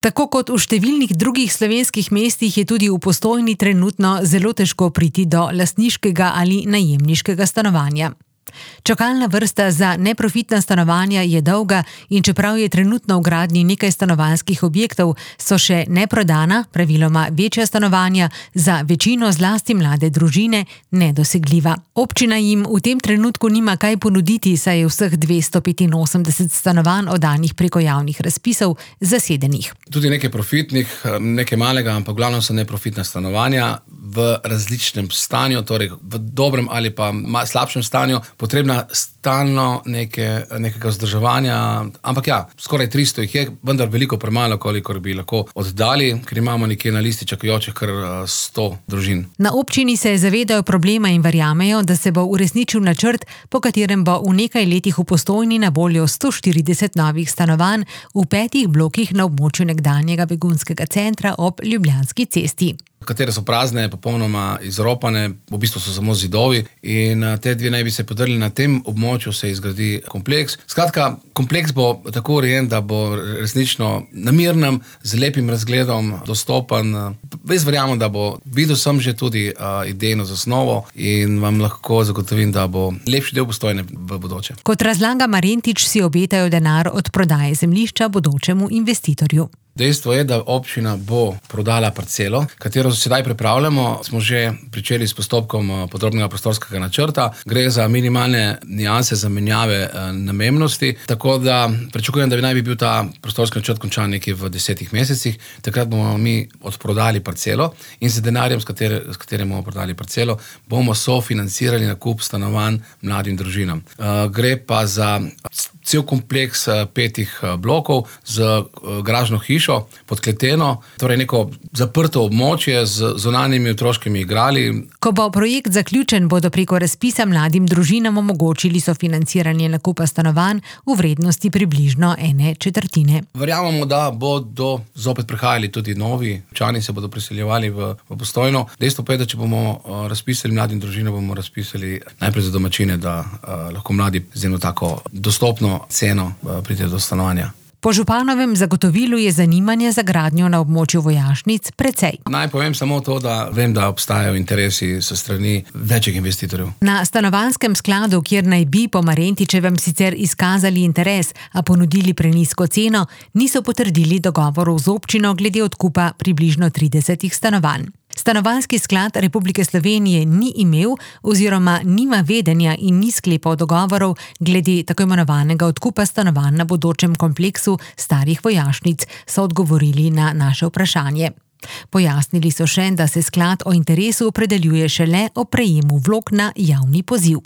Tako kot v številnih drugih slovenskih mestih je tudi v Postojni trenutno zelo težko priti do lastniškega ali najemniškega stanovanja. Čakalna vrsta za neprofitna stanovanja je dolga in čeprav je trenutno v gradnji nekaj stanovanjskih objektov, so še neprodana, praviloma večja stanovanja, za večino zlasti mlade družine nedosegljiva. Občina jim v tem trenutku nima kaj ponuditi, saj je vseh 285 stanovanj oddanih preko javnih razpisov zasedenih. Tudi nekaj profitnih, nekaj malega, ampak glavno so neprofitna stanovanja v različnem stanju, torej v dobrem ali pa slabšem stanju, potrebna stalno nekega vzdrževanja, ampak ja, skoraj 300 jih je, vendar veliko premalo, kolikor bi lahko oddali, ker imamo nekje na listi čakajočih kar 100 družin. Na občini se zavedajo problema in verjamejo, da se bo uresničil načrt, po katerem bo v nekaj letih v Postojni na voljo 140 novih stanovanj v 5 blokih na območju nekdanjega begunskega centra ob Ljubljanski cesti. Katere so prazne, popolnoma izropane, v bistvu so samo zidovi in te dve naj bi se podrli na tem območju, se izgradi kompleks. Skratka, kompleks bo tako urejen, da bo resnično namirnem, z lepim razgledom, dostopen. Jaz verjamem, da bo videl sem že tudi idejno zasnovo in vam lahko zagotovim, da bo lepši del Postojne v bodoče. Kot razlaga Marentič, si obetajo denar od prodaje zemljišča bodočemu investitorju. Dejstvo je, da občina bo prodala parcelo, katero sedaj pripravljamo. Smo že pričeli s postopkom podrobnega prostorskega načrta. Gre za minimalne nianse zamenjave namembnosti, tako da pričakujem, da naj bi bil ta prostorski načrt končan nekje v 10 mesecih. Takrat bomo mi odprodali parcelo in z denarjem, s katerim bomo prodali parcelo, bomo sofinancirali nakup stanovanj mladim družinam. Gre pa za cel kompleks 5 blokov z garažno hišo, podkleteno, torej neko zaprto območje z zunanjimi otroškimi igrali. Ko bo projekt zaključen, bodo preko razpisa mladim družinam omogočili sofinanciranje nakupa stanovanj v vrednosti približno 1/4. Verjamemo, da bodo zopet prihajali tudi novi občani, se bodo priseljevali v Postojno. Dejstvo pa je, da če bomo razpisali mladim družinam, bomo razpisali najprej za domačine, da lahko mladi z eno tako dostopno ceno pride do stanovanja. Po županovem zagotovilu je zanimanje za gradnjo na območju vojašnic precej. Naj povem samo to, da vem, da obstajajo interesi s strani večjih investitorjev. Na stanovanjskem skladu, kjer naj bi po Marentičevem sicer izkazali interes, a ponudili prenizko ceno, niso potrdili dogovorov z občino glede odkupa približno 30 stanovanj. Stanovanjski sklad Republike Slovenije ni imel oziroma nima vedenja in ni sklepal dogovorov glede tako imenovanega odkupa stanovanj na bodočem kompleksu starih vojašnic, so odgovorili na naše vprašanje. Pojasnili so še, da se sklad o interesu opredeljuje šele o prejemu vlog na javni poziv.